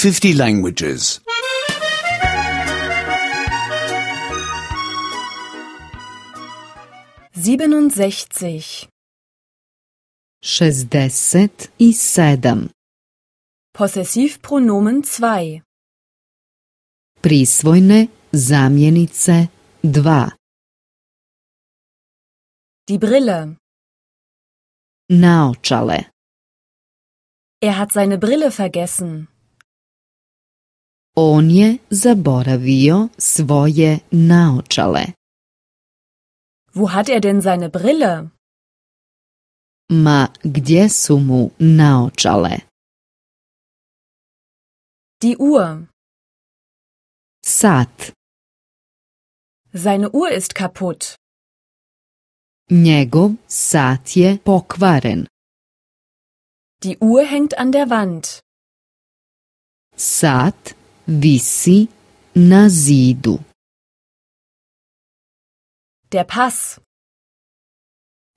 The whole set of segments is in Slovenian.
50 languages. 67. 67. Possessivpronomen 2. Prisvojne zamjenice 2. Die Brille. Naočale. Er hat seine Brille vergessen. On je zaboravio svoje naočale. Wo hat er denn seine Brille? Ma gdje su mu naočale? Die Uhr. Sat. Seine Uhr ist kaputt. Njegov sat je pokvaren. Die Uhr hängt an der Wand. Sat visi na zidu. Der Pass.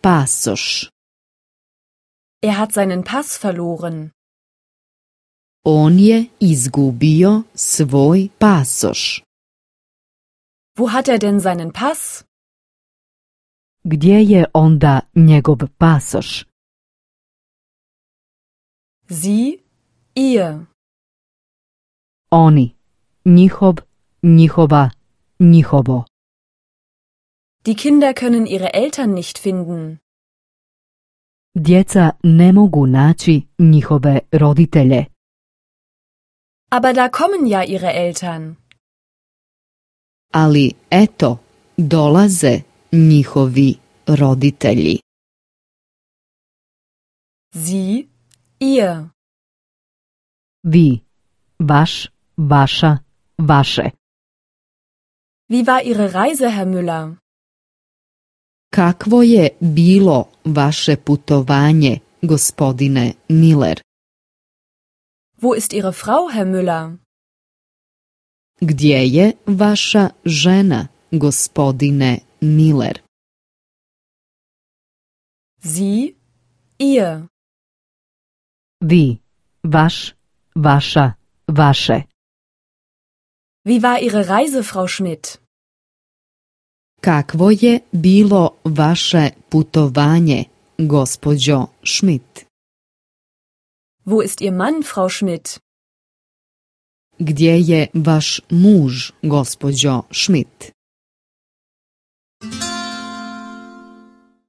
Pasoš. Er hat seinen Pass verloren. On je izgubio svoj pasoš. Wo hat er denn seinen Pass? Gdje je onda njegov pasoš? Sie, ihr. Oni, njihov, njihova, njihovo. Die Kinder können ihre Eltern nicht finden. Djeca ne mogu naći njihove roditelje. Aber da kommen ja ihre Eltern. Ali eto, dolaze njihovi roditelji. Sie, ihr. Vi, vaš, vaša, vaše. Wie war Ihre Reise, Herr Müller? Kakvo je bilo vaše putovanje, gospodine Miller? Wo ist Ihre Frau, Herr Müller? Gdje je vaša žena, gospodine Miller? Sie, ihr. Vi, vaš, vaša, vaše. Wie war Ihre Reise, Frau Schmidt? Kakvo je bilo vaše putovanje, gospođo Schmidt? Wo ist Ihr Mann, Frau Schmidt? Gdje je vaš muž, gospođo Schmidt?